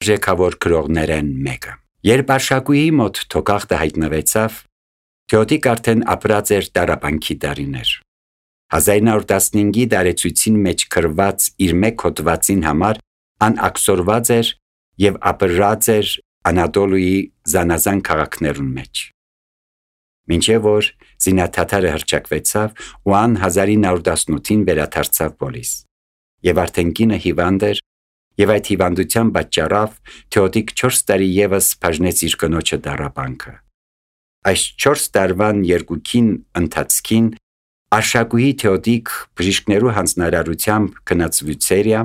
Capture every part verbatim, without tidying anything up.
արժեքավոր գրողներեն մեկը։ Երբ Արշակույի մոտ թոկախտը հայտնվեցավ, Թեոդիկ արդեն ապրած էր տառապանքի տարիներ։ հազար նոր տասնհինգի դարեցույցին մեջ գրված իր մեկ հոդվածին համար անաքսորված էր և ապրած էր Անատոլիի զանազան քաղաքներուն մեջ։ Մինչև որ զինաթաթարը հռչակվեցավ ու ան հազար նոր տասնութին վերադարձավ Պոլիս։ Եվ արդեն կինը հիվանդ էր, և այդ հիվանդության պատճառով Թեոդիկ չորս տարի ևս բաժնեց իր կնոջը տառապանքը։ Այս չորս տարվան երկուքին ընթացքին Արշակույի Թեոդիկ բժիշկներու հանձնարարությամբ գնաց Վիցերիա,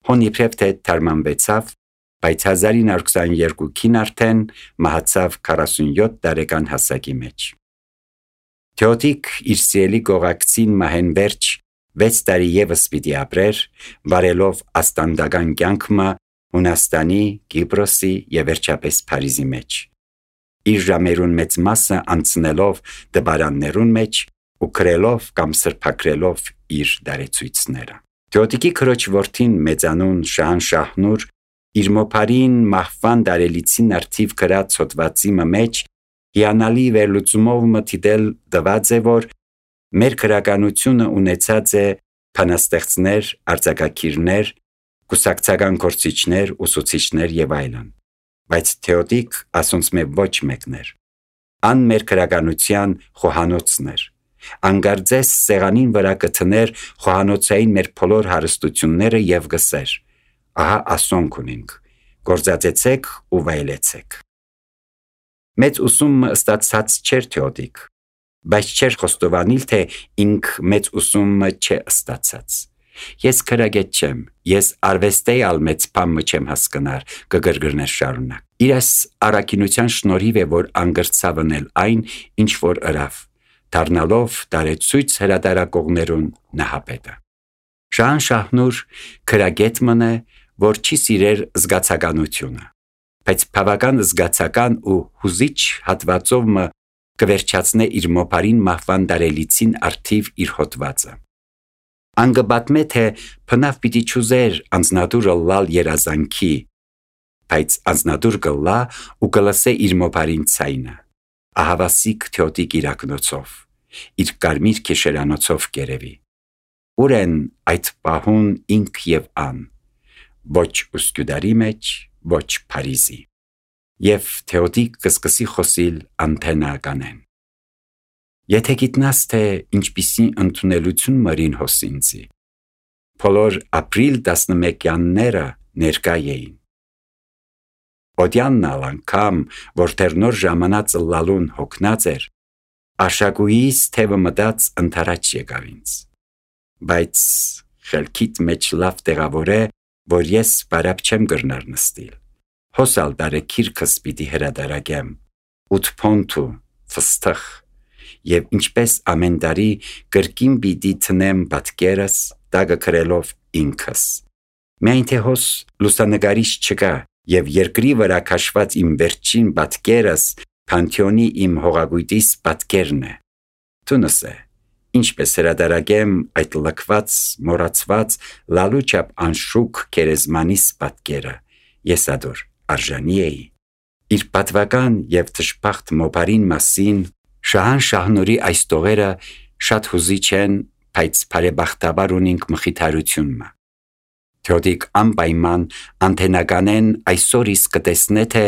հոն իբրև թե թարմանվեցավ, բայց հազար նոր քսաներկուին արդեն մահացավ քառասունյոթ տարեկան հասակի մեջ։ Թեոդիկ իր սիրելի գողակցին մահեն վերջ վեց տարի ևս պիտի ապրեր, վարելով աստանդական կյանքը Հունաստանի, Կիպրոսի և վերջապես Փարիզի մեջ։ Իր ժամերուն մեծ մասը անցնելով դպարաններուն մեջ ու գրելով կամ սրբագրելով իր դարեցույցները։ Թեոդիկի քրոջ որդին մեծանուն Շահանշահնուր իր մոփարին մահվան դարելիցին արդիվ գրած հոդվածի մեջ հիանալի վերլուծումով մտիդել դված է, որ մեր քրականությունը ունեցած է բանաստեղծներ, արձակագիրներ, կուսակցական գործիչներ, ուսուցիչներ և այլն, բայց Թեոդիկ ասոնց մե ոչ մեկներ։ Ան մեր քրականության խոհանոցն էր, անգարձես սեղանին վրա կթներ խոհանոցային մեր բոլոր հարստությունները և գսեր. ահա ասոնք ունենք, գործածեցեք ու վայելեցեք։ Մեծ ուսումը ստացած չէր Թեոդիկ, բայց չէր խոստովանիլ, թե ինք մեծ ուսումը չէ ստացած։ Ես քրագետ չեմ, ես արվեստեի ալ մեծ բամը չեմ հասկնար, կգրգրներ շարունակ։ Իրաս առաքինության շնորհիվ է, որ անգրծավնել այն, ինչ որ ըրավ, դառնալով տարեցույց հրատարակողներուն նահապետը։ Շահանշահնուր քրագետ մնե, որ չի սիրեր զգացականությունը, բայց բավական զգացական ու հուզիչ հատվածով մը կվերջացնե իր մոփարին մահվան դարելիցին արդիվ իր հոդվածը։ Անգբատմե, թե փնավ պիտի չուզեր անձնադուրը լալ երազանքի, բայց անձնադուր կլա ու կլսե իր մոփարին ցայնը, ահավասիկ Թեոդիկ իրակնոցով, իր կարմիր քեշերանոցով կերևի։ Ուր են այդ պահուն ինք և ան, ոչ Ուսկյուդարի մեջ, ոչ Փարիզի։ Եվ Թեոդիկ կսկսի խոսիլ անթենականեն. Եթե գիտնաս, թե ինչպիսի ընդունելություն մրին հոսինցի, բոլոր ապրիլ տասնմեկյանները ներկա էին։ Օդյանն ալ անգամ, որ դեռ նոր ժամանած լալուն հոգնած էր, Արշակույիս թևը մտած ընթരാճ եկավ ինձ։ Բայց խելքիդ մեջ լավ տեղավոր է, որ ես բարապ չեմ գրնար նստիլ։ Հոսալ դարեքիրքս պիտի հրադարագեմ, ութփոնթու, ֆստխ, և ինչպես ամեն տարի կրկին պիտի թնեմ պատկերս, տագը գրելով ինքս։ Միայն թե հոս լուսանկարիչ չկա, և երկրի վրա քաշված իմ վերջին պատկերս Փանթեոնի իմ հողագույտիս պատկերն է։ Տունս է, ինչպես հրադարագեմ այդ լքված, մոռացված, լալուչապ անշուք գերեզմանիս պատկերը, ես ադոր արժանի էի։ Իր պատվական և թշպախտ մոփարին մասին Շահանշահնուրի այս տողերը շատ հուզիչ են, բայց բարեբախտաբար ունենք մխիթարությունը։ Թեոդիկ անպայման անթենականեն այսօր իսկ կտեսնե, թե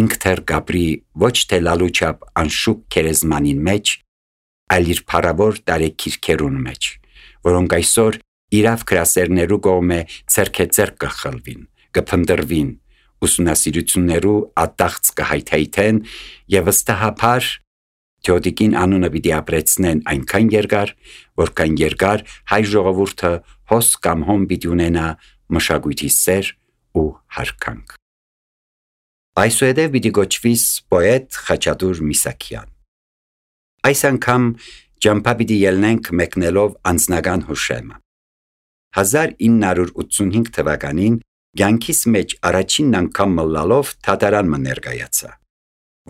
ինք թեր գաբրի ոչ թե լալուչապ անշուք գերեզմանին մեջ, այլ իր փառավոր տարեքիրքերուն մեջ, որոնք այսօր իրավ գրասերներու կողմէ ցերքեցերք կխլվին, կփնտրվին, ուսումնասիրություններու ատաղծ կհայթայթեն և վստահաբար Թեոդիկին անունը պիտի ապրեցնեն այնքան երկար, որքան երկար հայ ժողովուրդը հոս կամ հոմ պիտի ունենա մշակույթի սեր ու հարկանք։ Այսուհետև պիտի գոչվիս պոետ Խաչատուր Միսակյան։ Այս անգամ ճամփա պիտի ելնենք մեկնելով անձնական հուշեմը։ հազար ինը հարյուր ութսունհինգ թվականին կյանքիս մեջ առաջին անգամ մլալով թատարան մը ներկայացա,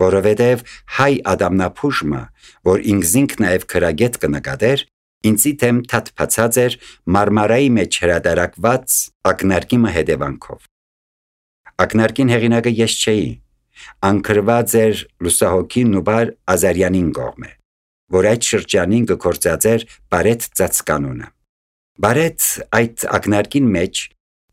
որովհետև հայ ադամնափուժմը, որ ինքզինք նաև քրագետ կնկատեր, ինձի թեմ թաթփացած էր Մարմարայի մեջ հրադարակված ակնարկիմը հետևանքով։ Ակնարկին հեղինակը ես չէի, անկրված էր լուսահոգի Նուբար Ազարյանին կողմը, որ այդ շրջանին կգործածեր Բարեթ ծածկանունը։ Բարեթ այդ ակնարկին մեջ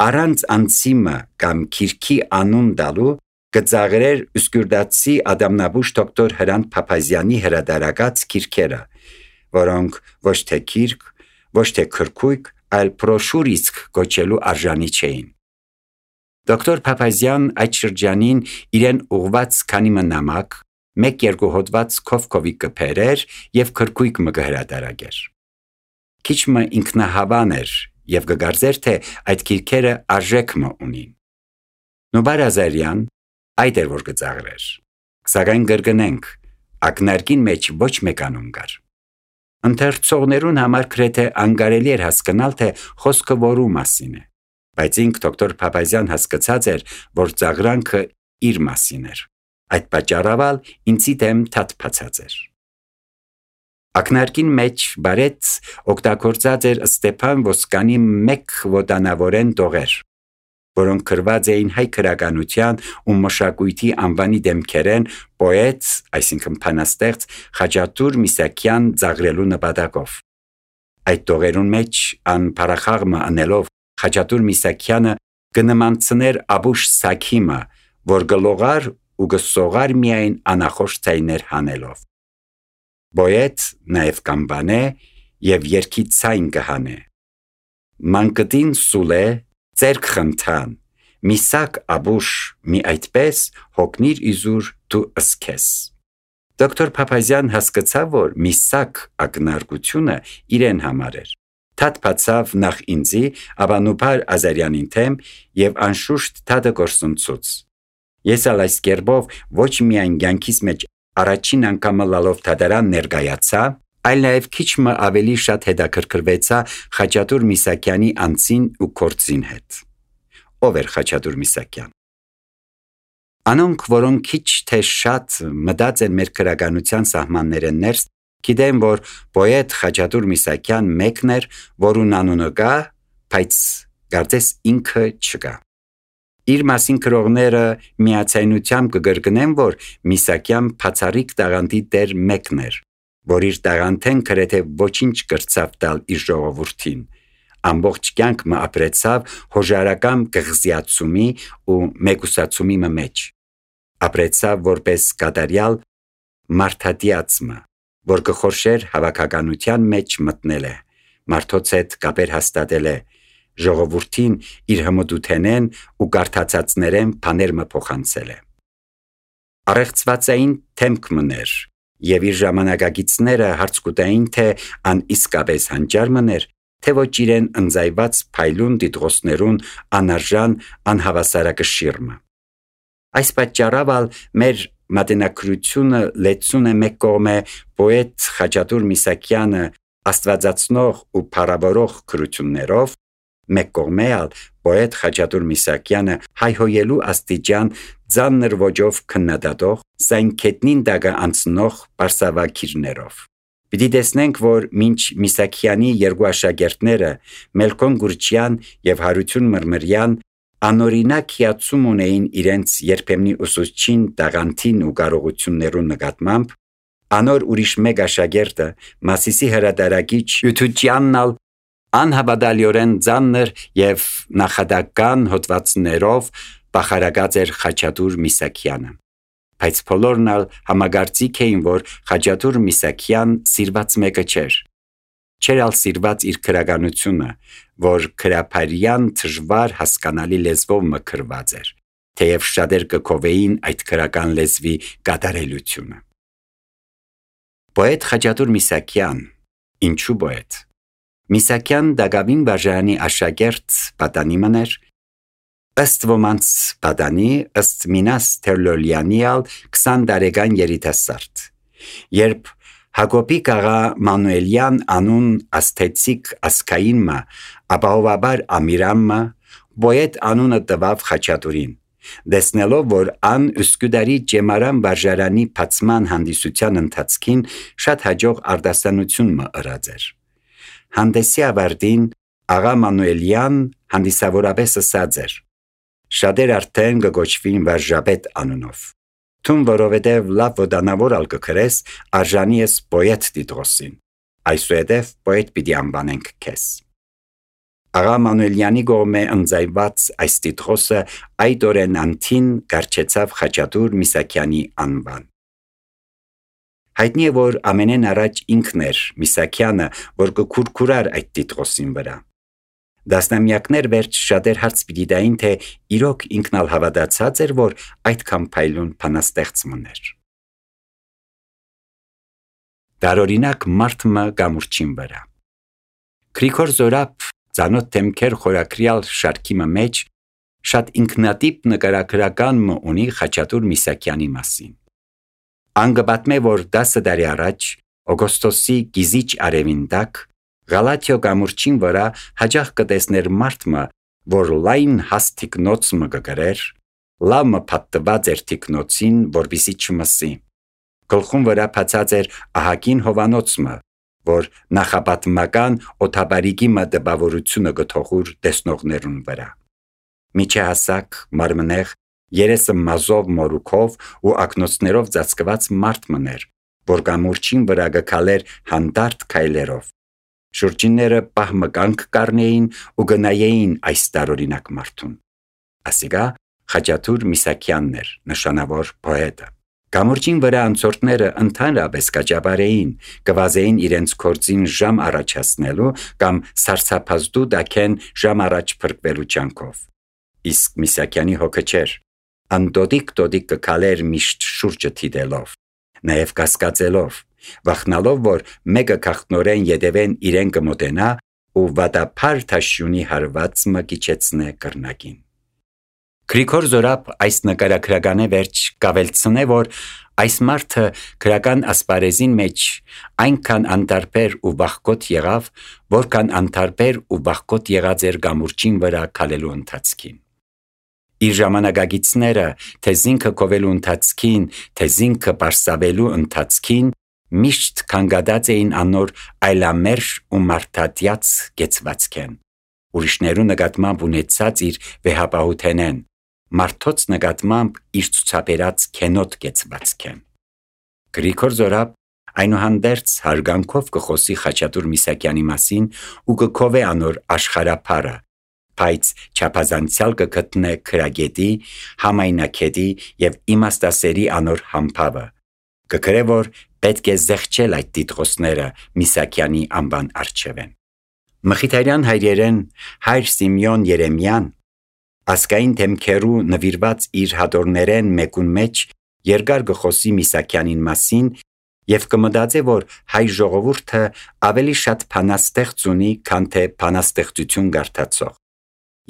առանց անցիմը կամ քիրքի անուն դալու կծաղրեր ուսկուրդացի ադամնաբուշ դոկտոր Հրանտ Փափազյանի հրադարակած քիրքերը, որոնք ոչ թե քիրք, ոչ թե քրքույկ, այլ բրոշուր իսկ կոչելու արժանի չէին։ Դոկտոր Փափազյան այդ շրջանին իրեն ուղված քանի մնամակ, մեկ-երկու հոդված քովքովի կփերեր և քրքույկ մը կհրադարակեր։ Քիչ մը ինքնահավան էր և կգարձեր, թե այդ քիրքերը արժեք մը ունին։ Նուբար Ազարյան այդ էր որ կծաղրեր, սակայն կրկնենք, ակնարկին մեջ ոչ մեկ անուն կար։ Ընթերցողներուն համար գրեթե անկարելի էր հասկանալ, թե խոսքը որու մասին է, բայց ինք դոկտոր Փափազյան հասկացած էր, որ ծաղրանքը իր մասին էր։ Այդ պատճառով ինձի դեմ թաթփացած էր։ Ակնարկին մեջ Բարեթ օգտագործած էր Ստեփան Ոսկանի մեկ ոտանավորեն տողեր, որոնք գրված էին հայ գրականության ու մշակույթի անվանի դեմքերեն պոետ, այսինքն բանաստեղծ Խաչատուր Միսակյան ծաղրելու նպատակով։ Այդ տողերուն մեջ ան փարախաղմը անելով Խաչատուր Միսակյանը կնմանցներ Աբուշ Սաքիմը, որ գլողար ու գսողար միայն անախոշ ցայներ հանելով։ Պոետ նաև կամբանե և երգի ցայն կհանե։ Մանկտին սուլե ծերք խնդան, միսակ Աբուշ մի այդպես հոգնիր իզուր դու ըսքես։ Դոկտոր Փափազյան հասկացավ, որ միսակ ակնարկությունը իրեն համար էր։ Թաթփացավ նախ ինձի, ապա Նուբար Ազարյանին թեմ և անշուշտ թաթը գործընծուց։ Ես ալ այս կերպով ոչ միայն կյանքիս մեջ առաջին անգամը լալով թադարան ներկայացա, այլ նաև քիչ մը ավելի շատ հետաքրքրվեցա Խաչատուր Միսակյանի անձին ու գործին հետ։ Ով էր Խաչատուր Միսակյան։ Անոնք, որոնք քիչ թե շատ մտած են մեր գրականության սահմանները ներս, գիտեն, որ պոետ Խաչատուր Միսակյան մեկն էր, որուն անունը կա, բայց կարծես ինքը չկա։ Իր մասին գրողները միացայնությամբ կգրկնեն, որ Միսակյան բացառիկ տաղանդի դեր մեկն էր, որ իր տաղանդեն գրեթե ոչինչ կրծավ տալ իր ժողովրդին, ամբողջ կյանք մը ապրեցավ հոժարական կղզիացումի ու մեկուսացումի մը մեջ, ապրեցավ որպես կատարյալ մարդատիացմը, որ կխորշեր հավաքականության մեջ մտնել է, մարդոց հետ կապեր հաստատել է, ժողովրդին իր հմտութենեն ու կարդացածներեն բաներ մը փոխանցել է։ Առեղծվածային թեմք մներ և իր ժամանակագիցները հարց կուտային, թե ան իսկապես հանճար մներ, թե ոչ իրեն ընձայված փայլուն դիտողներուն անարժան անհավասարակշիռը։ Այս պատճառով մեր մատենագրությունը լեցուն է մեկ կողմը պոետ Խաչատուր Միսակյանը աստվածացնող ու փառավորող գրություններով, մեկ կողմը ալ պոետ Խաչատուր Միսակյանը հայհոյելու աստիճան ծանր ոճով քննադատող, սայնքետնին դագը անցնող պարսավագիրներով։ Պիտի տեսնենք, որ մինչ Միսակյանի երկու աշակերտները Մելքոն Գուրչյան և Հարություն Մրմրյան անօրինակ հիացում ունեին իրենց երբեմնի ուսուցչին տաղանդին ու կարողություններուն նկատմամբ, անոր ուրիշ մեկ աշակերտը Մասիսի հրադարակիչ Յութուչյանն ալ անհավատալիորեն ծանր և նախադական հոդվածներով բախարակած էր Խաչատուր Միսակյանը, բայց բոլորն ալ համագործիկ էին, որ Խաչատուր Միսակյան սիրված մեկը չէր, չէր ալ սիրված իր գրականությունը, որ գրաբարյան դժվար հասկանալի լեզվով մը գրված էր, թեև շատեր կգովեին այդ գրական լեզվի կատարելությունը։ Պոետ Խաչատուր Միսակյան, ինչու պոետ։ Միսակյան դակավին բաժանի աշակերտ պատանի մներ, ըստ ոմանց պատանի, ըստ Մինաս Թերլոլյանի ալ քսան տարեկան երիտասարդ, երբ Հակոբիկ աղա Մանուելյան անուն ասթեցիկ ասկային մը, ապահովաբար ամիրան մը, պոետ անունը տվավ Խաչատուրին, դեսնելով, որ ան Üsküdarի Ջեմարան վարժարանի բացման հանդիսության ընթացքին շատ հաջող արտասանություն մը ըրած էր։ Հանդեսի ավարտին աղա Մանուելյան հանդիսավորապես ասած էր. Շատեր արդեն կգոչվին Վարժապետ անունով։ Թուն որովհետև լավ ոդանավոր ալ կքրես, արժանի ես պոետ Տիտրոսին, այսուհետև պոետ պիտի անվանենք քեզ։ Աղա Մանուելյանի կողմէ ընձայված այս Տիտրոսը այդ օրեն անթին կառչեցավ Խաչատուր Միսակյանի անվան։ Հայտնի է, որ ամենեն առաջ ինքն էր Միսակյանը, որ կքուրքուրար այդ Տիտրոսին վրա։ Դասնամյակներ վերջ շատեր հարց պիտի տային, թե իրոք ինքն ալ հավատացած էր, որ այդքան փայլուն բանաստեղծ մներ։ Տարօրինակ մարդը գամուրջին վրա։ Գրիգոր Զորապ ծանոթ թեմքեր խորակրյալ շարքի մեջ շատ ինքնատիպ նկարագրական ունի Խաչատուր Միսակյանի մասին։ Անգպատմե, որ դասը տարի առաջ օգոստոսի գիզիչ արևին տակ Գալաթիո գամուրջին վրա հաջող կտեսներ մարդը, որ լայն հաստ թիկնոց մը կգրեր, լավ մը պատտված էր թիկնոցին, որպեսզի չմսի։ Գլխում վրա բացած էր ահագին հովանոցը, որ նախապատմական օթաբարիկի մը դպավորությունը գթողուր տեսնողներուն վրա։ Միջահասակ, մարմնեղ, երեսը մազով մորուքով ու ակնոցներով ծածկված մարդ մներ, որ գամուրջին վրա գքալեր հանդարտ քայլերով։ Շուրջինները պահմկանք կառնեին ու գնայեին այս տարօրինակ մարդուն։ Ասիկա Խաչատուր Միսակյանն էր, նշանավոր պոետը։ Գամուրջին վրա անցորդները ընդհանրապես կաճապարեին, կվազեին իրենց կորձին ժամ առաջացնելու կամ սարսափազդու դակեն ժամ առաջ փրկվելու ջանքով։ Իսկ Միսակյանի հոգը չէր, անդոդիկ դոդիկ կքալեր միշտ շուրջը թիդելով, նաև կասկածելով, վախնալով, որ մեկը քաղտնորեն յետևեն իրեն կմոտենա ու վատափար թաշյունի հարված մը կիչեցնե կրնակին։ Գրիգոր Զորապ այս նկարագրականը վերջ կավելցնե, որ այս մարդը քրական ասպարեզին մեջ այնքան անտարբեր ու վախկոտ եղավ, որքան անտարբեր ու վախկոտ եղած էր գամուրջին վրա քալելու ընթացքին։ Իր ժամանակագիցները թե զինքը կովելու ընթացքին, թե զինքը պարսավելու ընթացքին միշտ կանգադած էին անոր այլամերժ ու մարդատյաց գեցվածքեն, ուրիշներու նկատմամբ ունեցած իր վեհապահութենեն, մարդոց նկատմամբ իր ցուցաբերած քենոտ գեցվածքեն։ Գրիգոր Զորապ այնուհանդերձ հարգանքով կխոսի Խաչատուր Միսակյանի մասին ու կքովե անոր աշխարհափառը, բայց չափազանցյալ կգտնե քրագետի, համայնակետի եւ իմաստասերի անոր համբավը։ Կգրե, որ պետք է զեղչել այդ տիտրոսները Միսակյանի անվան առջևեն։ Մխիթարյան հայրերեն հայր Սիմեոն Երեմյան ասկային թեմքերու նվիրված իր հատորներեն մեկուն մեջ երկար գխոսի Միսակյանին մասին եւ կմտածե, որ հայ ժողովուրդը ավելի շատ բանաստեղծ ունի, քան թե բանաստեղծություն գարտացող,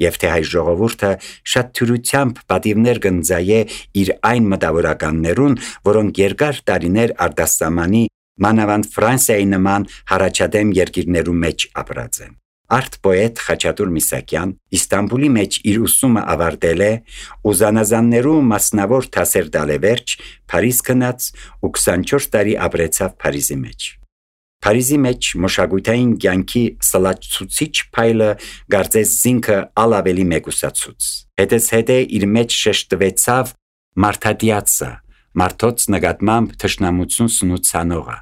եւ թե հայ ժողովուրդը շատ թյուրությամբ պատիվներ կընծայե իր այն մտավորականներուն, որոնք երկար տարիներ արտասահմանի մանավանդ Ֆրանսիայի նման հարաճադեմ երկիրներու մեջ ապրած են։ Արտ պոետ Խաչատուր Միսակյան Իստանբուլի մեջ իր ուսումը ավարտել է ու զանազաններու մասնավոր դասեր տալ է վերջ, Փարիզ գնաց ու քսանչորս տարի ապրեցավ Փարիզի մեջ։ Փարիզի մեջ մշակութային կյանքի սլացուցիչ փայլը գարձես զինքը ալավելի մեգուսացուց։ Հետս հետե իր մեջ շեշտվեցավ մարդատիացը, մարդոց նկատմամբ թշնամություն սնուցանողը։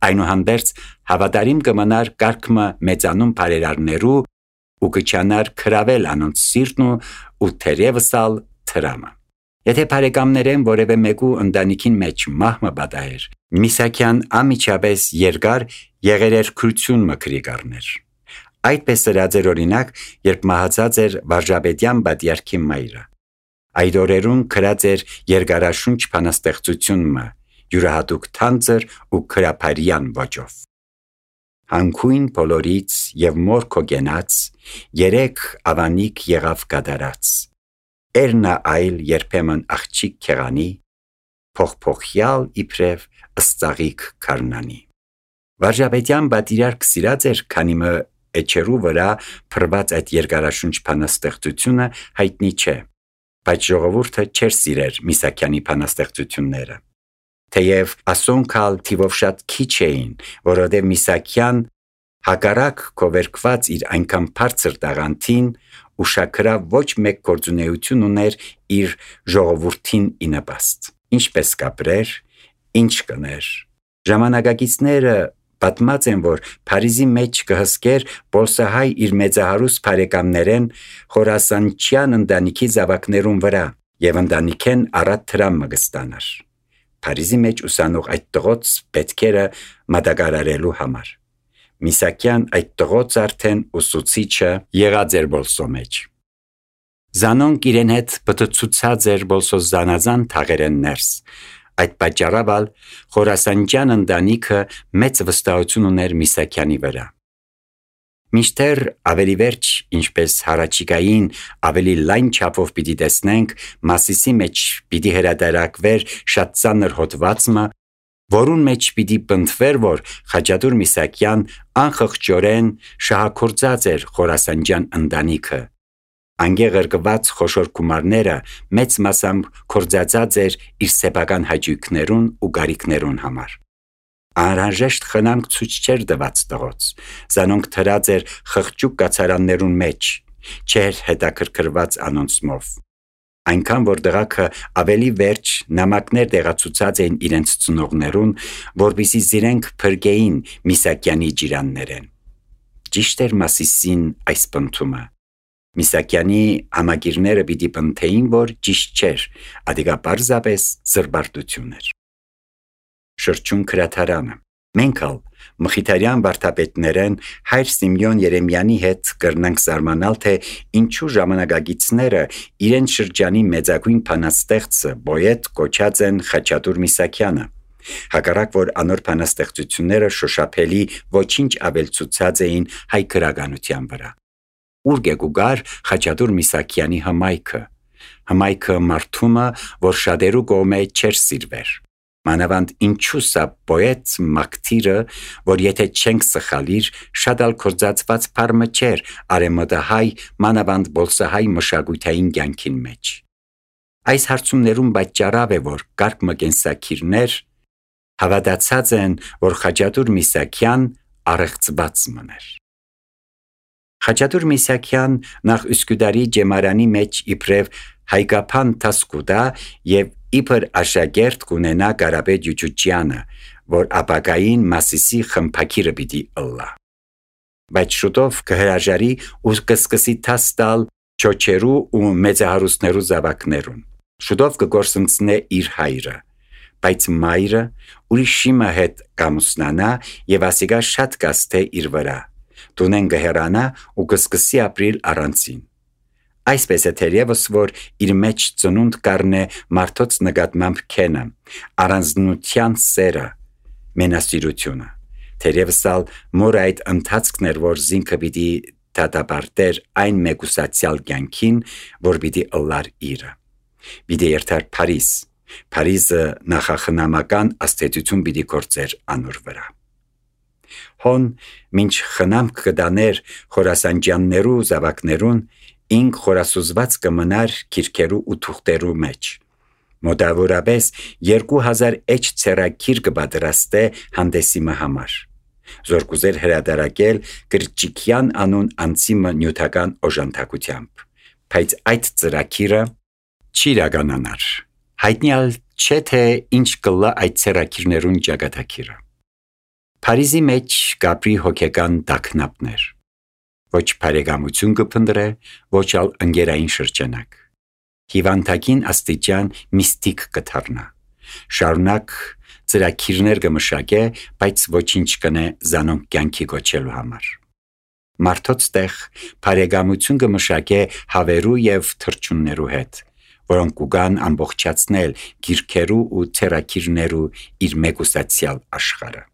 Այնուհանդերձ հավատարիմ կմնար կարգմը մեծանում բարերարներու ու կչանար քրավել անոնց սիրտն ու թերևս ալ թրամը։ Եթե բարեկամներեն որևէ մեկու ընտանիքին մեջ մահմը պատահեր, Միսակյան ամիջապես երկար եղերերքրություն մկրի կառներ։ Այդպես սրած էր օրինակ, երբ մահացած էր Վարժապետյան պատյարքի մայրը։ Այդ օրերուն քրած էր երկարաշունչ բանաստեղծությունը, յուրահատուկ թանձր ու քրափարյան ոճով։ Հանքույն բոլորից եւ մորքո գենաց, երեք ավանիկ եղավ կատարած։ Էրնա այլ երբեմն աղջիկ քեղանի, փողփողյալ իբրև ըսծաղիկ քարնանի։ Վարժապետյան պատիրարք սիրած էր, քանի մը էջերու վրա փրված այդ երկարաշունչ բանաստեղծությունը հայտնի չէ, բայց ժողովուրդը չէր սիրեր Միսակյանի բանաստեղծությունները։ Թեև ասոնքալ թիվով շատ քիչ էին, որովհետև Միսակյան հակառակ կովերկված իր այնքան բարձր տաղանդին ուշաքրավ ոչ մեկ գործունեություն ուներ իր ժողովրդին ի նպաստ։ Ինչպես կապրեր, ինչ կներ։ Ժամանակակիցները պատմած են, որ Փարիզի մեջ կհսկեր Պոլսահայ իր մեծահարուստ բարեկամներեն խորասանչյան ընտանիքի զավակներուն վրա եւ ընտանիքեն առատ տրամը կստանար։ Փարիզի մեջ ուսանող այդ տղոց պետքերը մատակարարելու համար։ Միսակյան այդ տղոց արդեն ուսուցիչը եղած էր բոլսո մեջ։ Զանոնք իրեն հետ պտցուցած էր բոլսո զանազան թաղերեն ներս։ Այդ պատճառաբալ խորասանջյան ընտանիքը մեծ վստահություն ուներ Միսակյանի վրա։ Մինչդեռ ավելի վերջ, ինչպես հարաճիկային ավելի լայն չափով պիտի տեսնենք, Մասիսի մեջ պիտի հրատարակվեր շատ ծանր հոդվածը, որուն մեջ պիտի պնդվեր, որ Խաչատուր Միսակյան անխղճորեն շահագործած էր խորասանջյան ընտանիքը։ Անգեղրկված խոշոր գումարները մեծ մասամբ կործածած էր իր սեփական հաճույքներուն ու գարիքներուն համար։ Անհրաժեշտ խնամք ցույց չէր տված տղոց, զանոնք թրած էր խղճուկ կացարաններուն մեջ, չէր հետաքրքրված անոնցմով։ Այնքան որ դղաքը ավելի վերջ նամակներ տեղացուցած էին իրենց ծնողներուն, որպեսզի զիրենք փրկեին Միսակյանի ջիրաններեն։ Ճիշտ էր Մասիսին այս պնդումը։ Միսակյանի համագիրները պիտի պնդեին, որ ճիշտ չէր, ադիգա պարզապես զրբարտություն էր։ Շրջուն քրաթարանը։ Մենք ալ Մխիթարյան վարդապետներեն հայր Սիմեոն Երեմյանի հետ կրնանք զարմանալ, թե ինչու ժամանակագիցները իրեն շրջանի մեծագույն բանաստեղծը պոետ կոչած են Խաչատուր Միսակյանը։ Հակառակ որ անոր բանաստեղծությունները շոշափելի ոչինչ ավելցուցած էին հայ գրականության վրա։ Ուր գեգուգար Խաչատուր Միսակյանի հմայքը, հմայքը մարդումը, որ շատերու կողմէ չէր սիրվեր։ Մանավանդ ինչու սա պոետ մակտիրը, որ եթե չենք սխալիր, շատ ալ կործածված պարմը չէր արեմտահայ, մանավանդ բոլսահայ մշակութային կյանքին մեջ։ Այս հարցումներում պատճառավ է, որ կարգ մկենսակիրներ հավատացած են, որ Խաչատուր Միսակյան առեղծված մներ։ Խաչատուր Միսակյան նախ Üsküdarի ջեմարանի մեջ իբրև հայկապան տասկուդա եւ իբր աշակերտ կունենա Կարապետ Յուչուչյանը, որ ապակային Մասիսի խմփակիրը պիտի ըլլա։ Բայց շուտով կհրաժարի ու կսկսի տաս տալ չոչերու ու մեծահարուստներու զավակներուն։ Շուտով կգործընծնե իր հայրը, բայց մայրը ուրիշիմը հետ կամուսնանա եւ ասիգա շատ կաստե իր վրա։ Տունեն գհերանա ու կսկսի ապրիլ առանցին։ Այսպես է թերևս, որ իր մեջ ծնունդ կառնե մարդոց նկատմամբ քենը, առանձնության սերը, մենասիրությունը։ Թերևս ալ մոր այդ ընթացքն էր, որ զինքը պիտի դատապարտեր այն մեկուսացյալ կյանքին, որ պիտի ըլլար իրը։ Պիտի երթար Փարիզ, Փարիզը նախախնամական աստեցություն պիտի գործեր անոր վրա։ Հոն մինչ խնամք կդաներ խորասանջյաններու զավակներուն, ինք խորասուզված կմնար քիրքերու ու թուղթերու մեջ։ Մոտավորապես երկու հազար էջ ցերակիր կպատրաստե հանդեսիմը համար։ Զորկուզեր հրադարակել Գրճիկյան անուն անցիմը նյութական օժանդակությամբ։ Բայց այդ ծրակիրը չի իրականանար։ Հայտնյալ չէ թե ինչ կլա այդ ցերակիրներուն ճակատագիրը։ Փարիզի մեջ կապրի հոգեկան տագնապներ։ Ոչ բարեկամություն կփնտրե, ոչ ալ ընկերային շրջանակ։ Հիվանդակին աստիճան միստիկ կդառնա։ Շարունակ ծրակիրներ կմշակե, բայց ոչինչ կնե զանոնք կյանքի գոչելու համար։ Մարդոց տեղ բարեկամություն կմշակե հավերու եւ թրջուններու հետ, որոնք կուգան ամբողջացնել գիրքերու ու ցերակիրներու իր մեկուսացյալ աշխարհը։